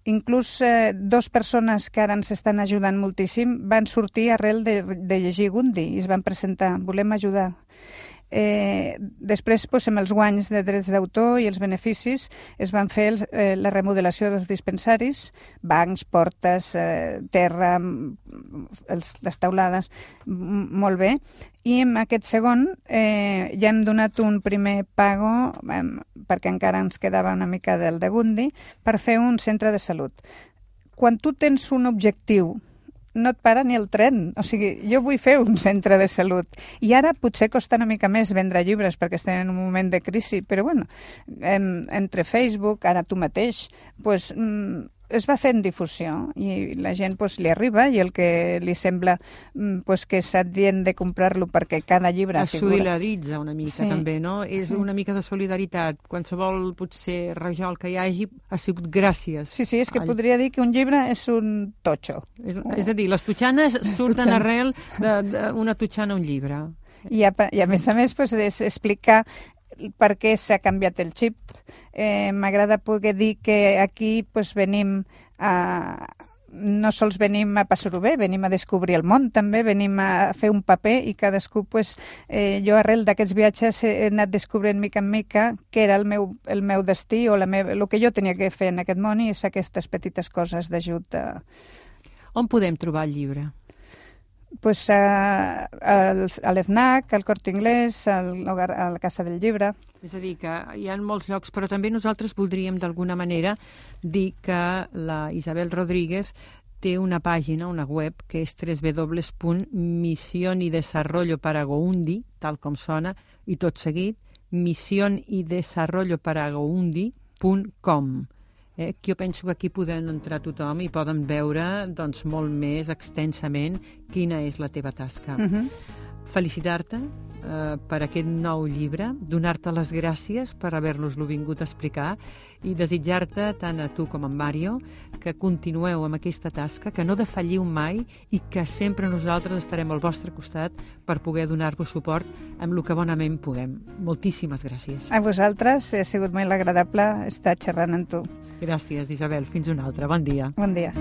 Inclús dues persones que ara ens estan ajudant moltíssim van sortir arrel de llegir Gundry i es van presentar, volem ajudar. Després, amb els guanys de drets d'autor i els beneficis, es van fer la remodelació dels dispensaris, bancs, portes, terra, les taulades, molt bé. I en aquest segon ja hem donat un primer pago, perquè encara ens quedava una mica del de Gundry, per fer un centre de salut. Quan tu tens un objectiu, no et para ni el tren. O sigui, jo vull fer un centre de salut. I ara potser costa una mica més vendre llibres perquè estem en un moment de crisi, però bueno, entre Facebook, ara tu mateix, pues, es va fent difusió i la gent pues, li arriba i el que li sembla pues, que és adient de comprar-lo perquè cada llibre es solidaritza una mica, també, no? És una mica de solidaritat. Qualsevol, potser, rajol que hi hagi ha sigut gràcies. Sí, és que podria dir que un llibre és un totxo. És a dir, les totxanes surten arrel d'una totxana a un llibre. I a més, pues, és explicar per què s'ha canviat el xip. M'agrada poder dir que aquí pues, venim no sols venim a passar-ho bé, venim a descobrir el món també, venim a fer un paper i cadascú, pues, jo arrel d'aquests viatges he anat descobrint mica en mica què era el meu destí o el que jo tenia que fer en aquest món i és aquestes petites coses d'ajut. On podem trobar el llibre? Pues a l'FNAC, al Corte Inglés, a la Casa del Llibre. És a dir, que hi ha molts llocs, però també nosaltres voldríem d'alguna manera dir que la Isabel Rodríguez té una pàgina, una web, que és www.misionydesarrolloparagoundry, tal com sona, i tot seguit, misionydesarrolloparagoundry.com. Que jo penso que aquí poden entrar tothom i poden veure doncs, molt més extensament quina és la teva tasca. Felicitar-te per aquest nou llibre, donar-te les gràcies per haver-nos-lo vingut a explicar i desitjar-te, tant a tu com a Mario, que continueu amb aquesta tasca, que no defalliu mai i que sempre nosaltres estarem al vostre costat per poder donar-vos suport amb el que bonament puguem. Moltíssimes gràcies. A vosaltres, ha sigut molt agradable estar xerrant amb tu. Gràcies, Isabel. Fins una altra. Bon dia. Bon dia.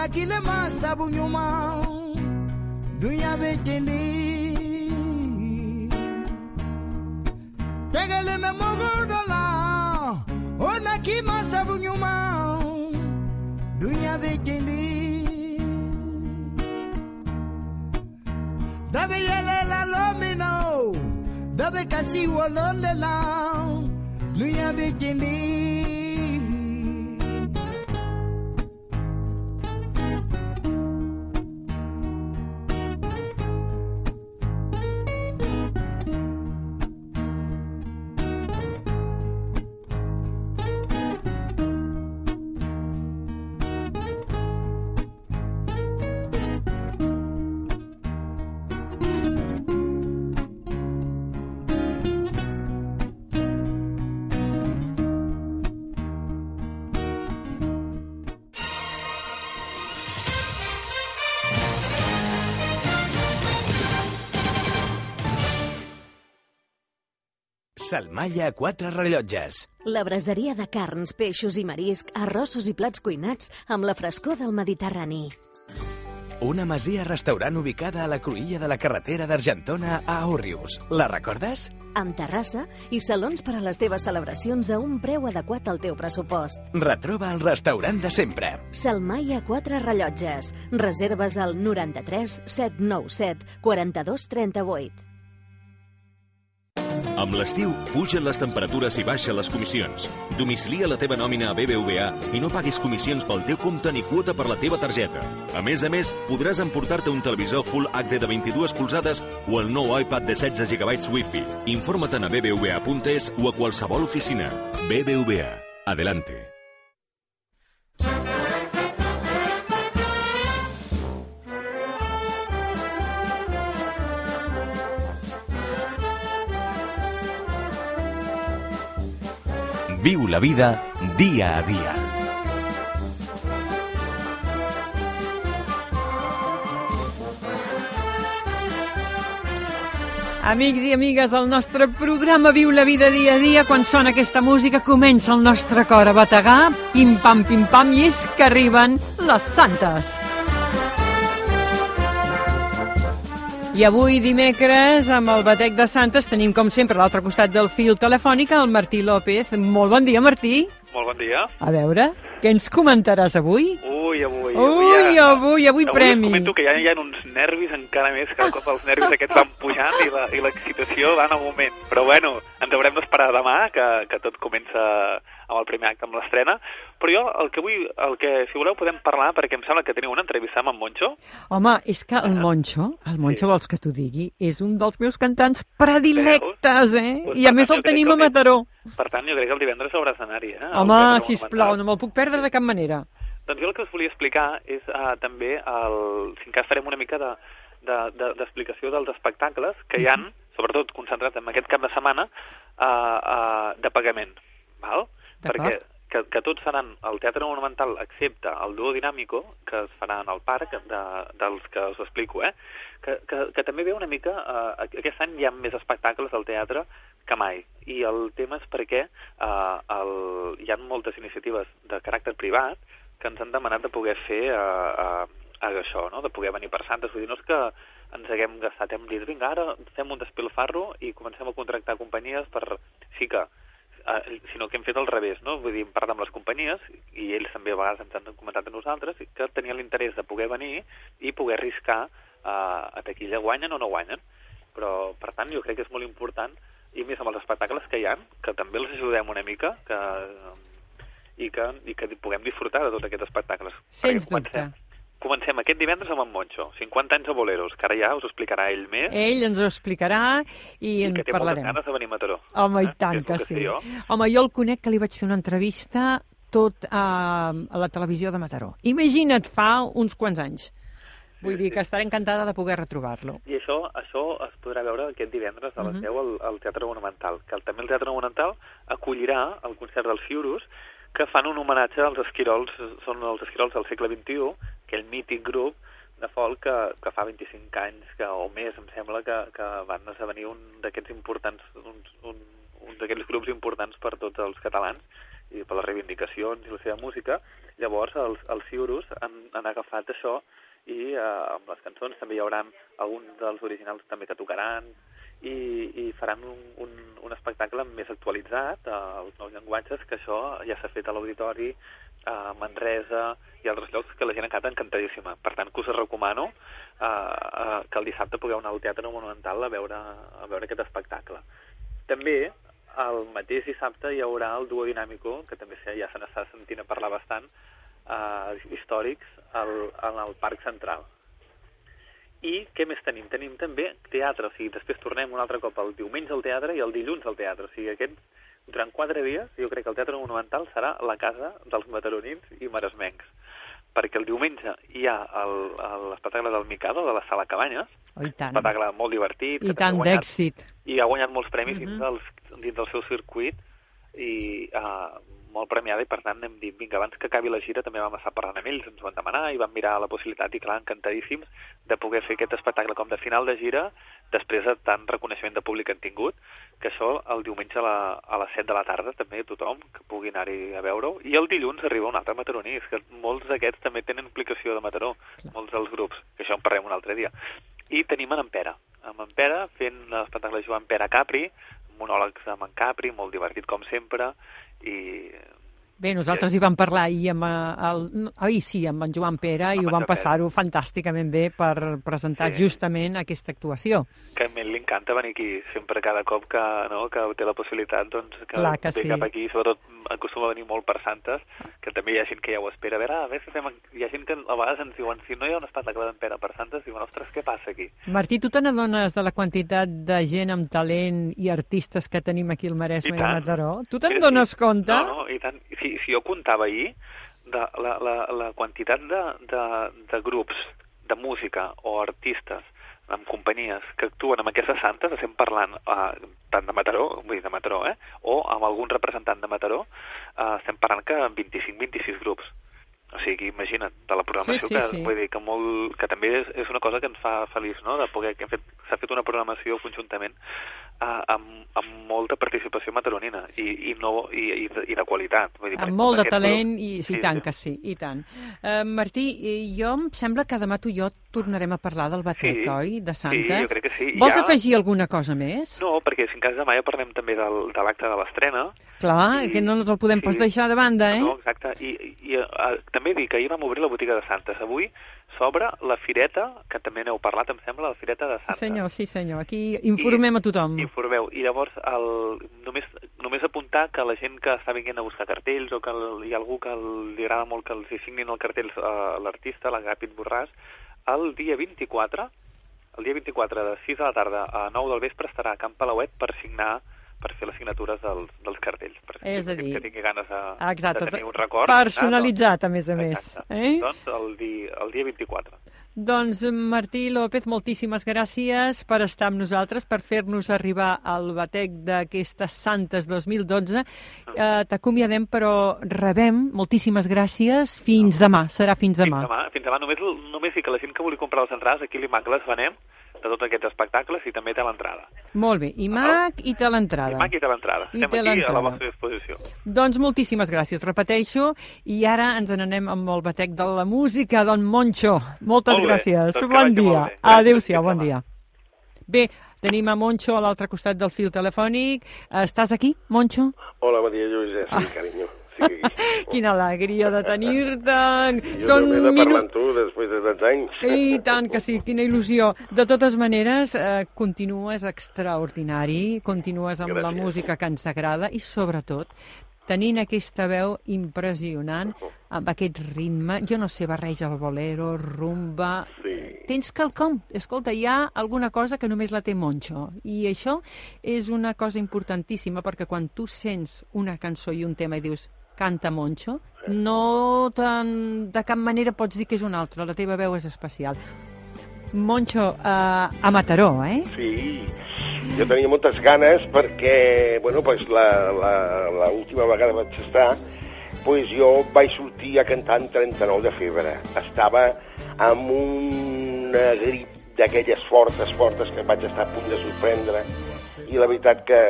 Kile masabu nyuma dunya bejendi tegele me mogodola ona ki masabu nyuma dunya bejendi dabe yele la lomino dabe kasi wolonde la dunya bejendi. Salmalla, 4 rellotges. La braseria de carns, peixos i marisc, arrossos i plats cuinats amb la frescor del Mediterrani. una masia-restaurant ubicada a la cruïlla de la carretera d'Argentona a Òrrius. La recordes? Amb terrassa i salons per a les teves celebracions a un preu adequat al teu pressupost. Retroba el restaurant de sempre. Salmaia 4 Rellotges. Reserves al 93 797 42 38. Amb l'estiu, pugen les temperatures i baixen les comissions. Domicilia la teva nòmina a BBVA i no paguis comissions pel teu compte ni quota per la teva targeta. A més, podràs emportar-te un televisor Full HD de 22 polzades o el nou iPad de 16 GB Wi-Fi. Informa-te'n a bbva.es o a qualsevol oficina. BBVA. Adelante. Viu la vida dia a dia. Amics i amigues, el nostre programa Viu la vida dia a dia, quan sona aquesta música comença el nostre cor a bategar, pim-pam, i és que arriben les santes. I avui, dimecres, amb el batec de Santes, tenim, com sempre, a l'altre costat del fil telefònic, el Martí López. Molt bon dia, Martí. Molt bon dia. A veure, què ens comentaràs avui? Avui premi. Us comento que ja hi ha uns nervis encara més, cada cop els nervis aquests van pujant i l'excitació va en augment. Però bueno, ens haurem d'esperar demà, que tot comença amb el primer acte, amb l'estrena. Però jo el que si voleu podem parlar, perquè em sembla que teniu una entrevista amb en Moncho. Home, és que el Moncho sí. Vols que t'ho digui, és un dels meus cantants predilectes, Pues, I a més el tenim a Mataró. Per tant, jo crec que el divendres hauràs d'anar-hi, Home, sisplau, no me'l puc perdre de cap manera. Doncs jo el que us volia explicar és també, si en cas farem una mica d'explicació dels espectacles que hi han, sobretot concentrats en aquest cap de setmana, de pagament, val? Perquè que tots faran el Teatre Monumental, excepte el Duo Dinàmico, que es farà en el parc, dels que us explico, que també ve una mica... Aquest any hi ha més espectacles al teatre que mai, i el tema és perquè hi ha moltes iniciatives de caràcter privat que ens han demanat de poder fer això, no? De poder venir per Santes. Vull dir, no és que ens haguem gastat, hem dit, vinga, ara fem un despilfarro i comencem a contractar companyies per... Sí que... sinó que hem fet al revés, no? Vull dir, hem parlat amb les companyies, i ells també a vegades ens han comentat a nosaltres, que tenien l'interès de poder venir i poder arriscar a taquilla, guanyen o no guanyen. Però, per tant, jo crec que és molt important, i més amb els espectacles que hi ha, que també els ajudem una mica, i que puguem disfrutar de tots aquests espectacles. Sens dubte. Comencem aquest divendres amb en Moncho, 50 anys de boleros, que ara ja us ho explicarà ell més. Ell ens ho explicarà i en parlarem. I que té moltes ganes de venir a Mataró. Home, i tant que sí. Home, jo el conec, que li vaig fer una entrevista tot a la televisió de Mataró. Imagina't, fa uns quants anys. Vull dir que estaré encantada de poder retrobar-lo. I això es podrà veure aquest divendres a les 10 al Teatre Monumental, que també el Teatre Monumental acollirà el concert dels Fiurus, que fan un homenatge als esquirols, són els esquirols del segle XXI, aquell mític grup de folk que fa 25 anys o més, em sembla, que van esdevenir un d'aquests importants, un d'aquests grups importants per tots els catalans i per les reivindicacions i la seva música. Llavors els Fiurus han agafat això i amb les cançons també hi haurà alguns dels originals també que tocaran i faran un espectacle més actualitzat als nous llenguatges, que això ja s'ha fet a l'Auditori, a Manresa i altres llocs, que la gent ha quedat encantadíssima. Per tant, que us recomano que el dissabte pugueu anar al Teatre Monumental a veure aquest espectacle. També el mateix dissabte hi haurà el Duo Dinàmico, que també ja se n'està sentint a parlar bastant, històrics en el Parc Central. I què més tenim? Tenim també teatre, o sigui, després tornem un altre cop el diumenge al teatre i el dilluns al teatre. O sigui, durant 4 dies jo crec que el Teatre Monumental serà la casa dels mataronins i maresmencs. Perquè el diumenge hi ha l'espectacle del Mikado, de la Sala Cabanyes, un espectacle molt divertit. I tant d'èxit. I ha guanyat molts premis dins del seu circuit, i molt premiada, i per tant hem dit, vinga, abans que acabi la gira també vam estar parlant amb ells, ens ho van demanar i vam mirar la possibilitat, i clar, encantadíssims de poder fer aquest espectacle com de final de gira, després de tant reconeixement de públic que han tingut, que això el diumenge a les 7 de la tarda també tothom que pugui anar-hi a veure-ho, i el dilluns arriba un altre mataroní, és que molts d'aquests també tenen implicació de Mataró, molts dels grups. tenim en Pere. Amb en Pere fent l'espectacle de Joan Pere Capri, monòlegs amb en Capri, molt divertit com sempre, i... Bé, nosaltres hi vam parlar ahir amb amb en Joan Pere i ho vam passar-ho fantàsticament bé per presentar justament aquesta actuació. Que a mi li encanta venir aquí, sempre cada cop que té la possibilitat, doncs que ve cap aquí, sobretot acostuma a venir molt per Santes, que també hi ha gent que ja ho espera. A veure si fem... Hi ha gent que a vegades ens diuen, si no hi ha un espectacle d'en Pere per Santes, diuen, ostres, què passa aquí? Martí, tu te n'adones de la quantitat de gent amb talent i artistes que tenim aquí al Maresme i a Mataró? Tu te'n dones compte? No, i tant. Si jo comptava ahir la quantitat de grups de música o artistes amb companyies que actuen amb aquestes santes, estem parlant tant de Mataró, vull dir de Mataró, o amb algun representant de Mataró, estem parlant que 25-26 grups. O sigui, imagina't, de la programació, vull dir que també és una cosa que ens fa feliç, no?, de poder que s'ha fet una programació conjuntament amb molta participació mataronina i de qualitat. Vull dir, amb molt de talent, i tant que sí, i tant. Martí, jo em sembla que demà tu i jo tornarem a parlar del batec, oi?, de Santes. Sí, jo crec que sí. Vols afegir alguna cosa més? No, perquè si en cas demà ja parlem també de l'acte de l'estrena. Clar, que no ens el podem pas deixar de banda, eh? No, exacte. I també dic que ahir vam obrir la botiga de Santes. Avui s'obre la fireta, que també n'heu parlat, em sembla, la fireta de Santes. Sí, senyor. Aquí informem a tothom. Informeu. I llavors, només apuntar que la gent que està venint a buscar cartells o que hi ha algú que li agrada molt que els hi signin el cartell l'artista, l'Agàpit Borràs, el dia 24 de 6 de la tarda a 9 del vespre estarà a Camp Palauet per fer les signatures dels cartells. És a dir, que tingui ganes de tenir un record. Personalitzat, a més a més. Doncs el dia 24. Doncs Martí López, moltíssimes gràcies per estar amb nosaltres, per fer-nos arribar al batec d'aquestes Santes 2012. T'acomiadem, però rebem, moltíssimes gràcies, fins demà, serà fins demà. Fins demà, només dir que la gent que vulgui comprar les entrades, aquí a l'IMAC les venem, de tots aquests espectacles, i també té l'entrada. Molt bé, IMAC i té l'entrada. IMAC i té l'entrada. Estem aquí a la vostra disposició. Doncs moltíssimes gràcies, repeteixo, i ara ens n'anem amb el batec de la música d'en Moncho. Moltes gràcies. Bon dia. Adéu-siau, bon dia. Bé, tenim a Moncho a l'altre costat del fil telefònic. Estàs aquí, Moncho? Hola, bon dia, Lluís. Sí, carinyo. Sí. Quina alegria de tenir-te. Jo també de parlar amb tu després de tants anys. I tant que sí, quina il·lusió. De totes maneres, continues extraordinari, continues amb la música que ens agrada i, sobretot, tenint aquesta veu impressionant, amb aquest ritme, jo no sé, barreja el bolero, rumba... Sí. Tens quelcom. Escolta, hi ha alguna cosa que només la té Moncho. I això és una cosa importantíssima, perquè quan tu sents una cançó i un tema i dius canta Moncho, no de cap manera pots dir que és una altra. La teva veu és especial. Moncho, a Mataró, eh? Sí. Jo tenia moltes ganes perquè, bueno, pues l'última vegada vaig estar, pues jo vaig sortir a cantar en 39 de febre. Estava amb una grip d'aquelles fortes que vaig estar a punt de sorprendre, i la veritat que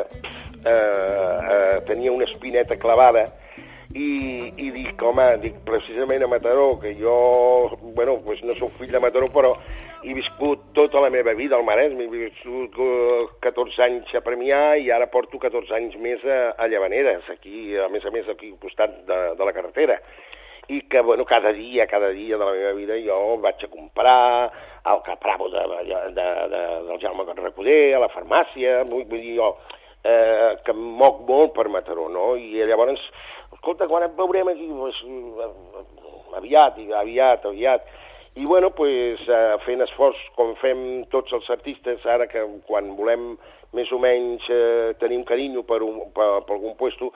tenia una espineta clavada, i dic, home, precisament a Mataró, que jo, bueno, pues no soc fill de Mataró, però he viscut tota la meva vida al Maresme, he viscut 14 anys a Premià i ara porto 14 anys més a Llavaneres, aquí, a més, aquí al costat de la carretera. I que, bueno, cada dia de la meva vida jo vaig a comprar al Capravo del Jaume Recoder, a la farmàcia, vull dir jo, que em moc molt per Mataró, no? I llavors, escolta, quan et veurem aquí? Pues, aviat. I, bueno, pues, fent esforç, com fem tots els artistes, ara que quan volem més o menys tenir un carinyo per algun puesto,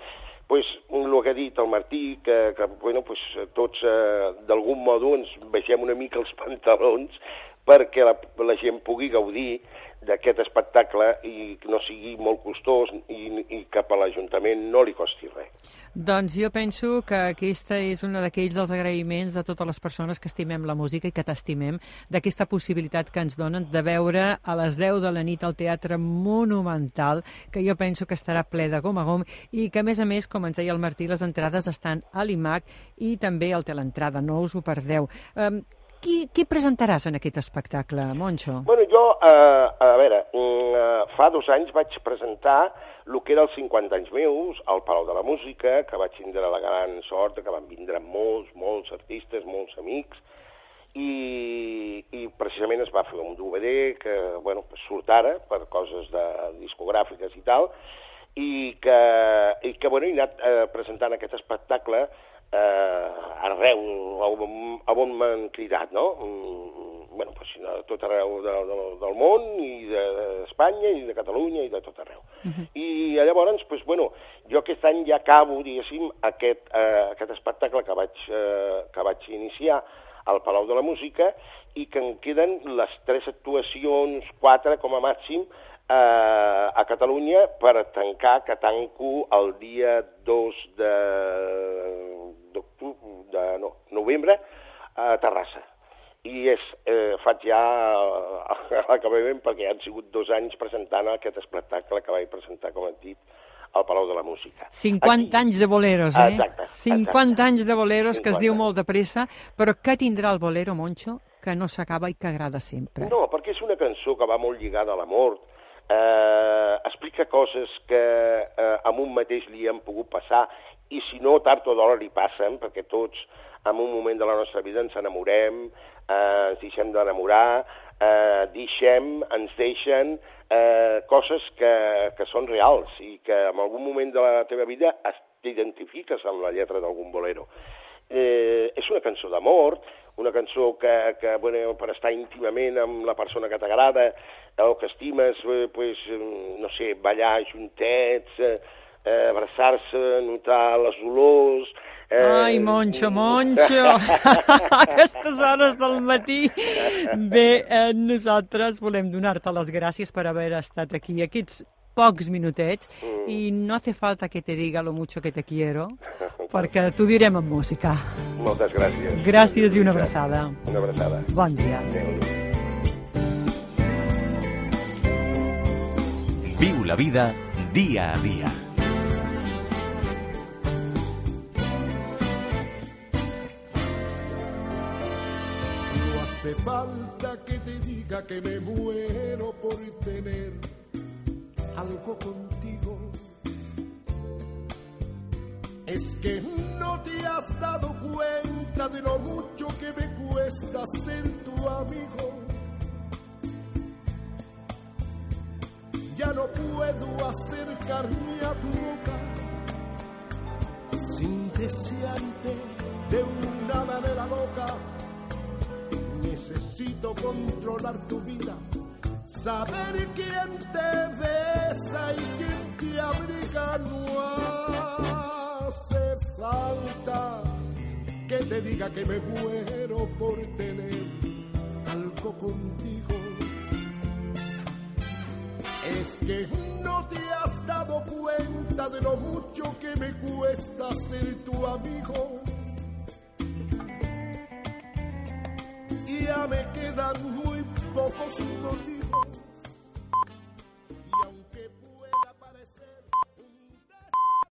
pues, el que ha dit el Martí, que bueno, pues, tots d'algun modo ens baixem una mica els pantalons perquè la gent pugui gaudir d'aquest espectacle i no sigui molt costós i que per l'Ajuntament no li costi res. Doncs jo penso que aquesta és una d'aquells dels agraïments de totes les persones que estimem la música i que t'estimem, d'aquesta possibilitat que ens donen de veure a les 10 de la nit al Teatre Monumental, que jo penso que estarà ple de gom a gom i que, a més, com ens deia el Martí, les entrades estan a l'IMAC i també al Teleentrada, no us ho perdeu. Qui presentaràs en aquest espectacle, Moncho? Bueno, jo, a veure, fa 2 anys vaig presentar el que era els 50 anys meus al Palau de la Música, que vaig tindre la gran sort que van vindre molts artistes, molts amics, i precisament es va fer un DVD que, bueno, surt ara per coses discogràfiques i tal, i que bueno, he anat presentant aquest espectacle arreu, on m'han cridat, no? Bueno, pues, a tot arreu del món, i d'Espanya, i de Catalunya, i de tot arreu. I llavors, pues, bueno, jo aquest any ja acabo, diguéssim, aquest espectacle que vaig iniciar al Palau de la Música, i que em queden les 3 actuacions, 4 com a màxim, a Catalunya per tancar, que tanco el dia 2 de novembre a Terrassa. I faig ja l'acabament, perquè han sigut 2 anys presentant aquest espectacle que vaig presentar, com hem dit, al Palau de la Música. 50 anys de boleros, eh? Exacte. 50 anys de boleros, que es diu molt de pressa, però què tindrà el bolero, Moncho, que no s'acaba i que agrada sempre? No, perquè és una cançó que va molt lligada a l'amor, explica coses que a un mateix li han pogut passar, i si no, tard o d'hora li passen, perquè tots en un moment de la nostra vida ens enamorem, ens deixem d'enamorar, ens deixen coses que són reals i que en algun moment de la teva vida t'identifiques amb la lletra d'algun bolero. És una cançó d'amor, una cançó que bueno, per estar íntimament amb la persona que t'agrada o que estimes, pues, no sé, ballar juntets, abraçar-se, notar les olors... Ai, Moncho, aquestes hores del matí. Bé, nosaltres volem donar-te les gràcies per haver estat aquí aquests pocs minutets i no hace falta que te diga lo mucho que te quiero, perquè t'ho direm en música. Moltes gràcies. Gràcies i una abraçada. Una abraçada. Bon dia. Viu la vida dia a dia. No hace falta que te diga que me muero por tener algo contigo. Es que no te has dado cuenta de lo mucho que me cuesta ser tu amigo. Ya no puedo acercarme a tu boca sin desearte de una manera loca. Necesito controlar tu vida, saber quién te besa y quién te abriga. No hace falta que te diga que me muero por tener algo contigo. Es que no te has dado cuenta de lo mucho que me cuesta ser tu amigo. Y ya me quedan muy pocos días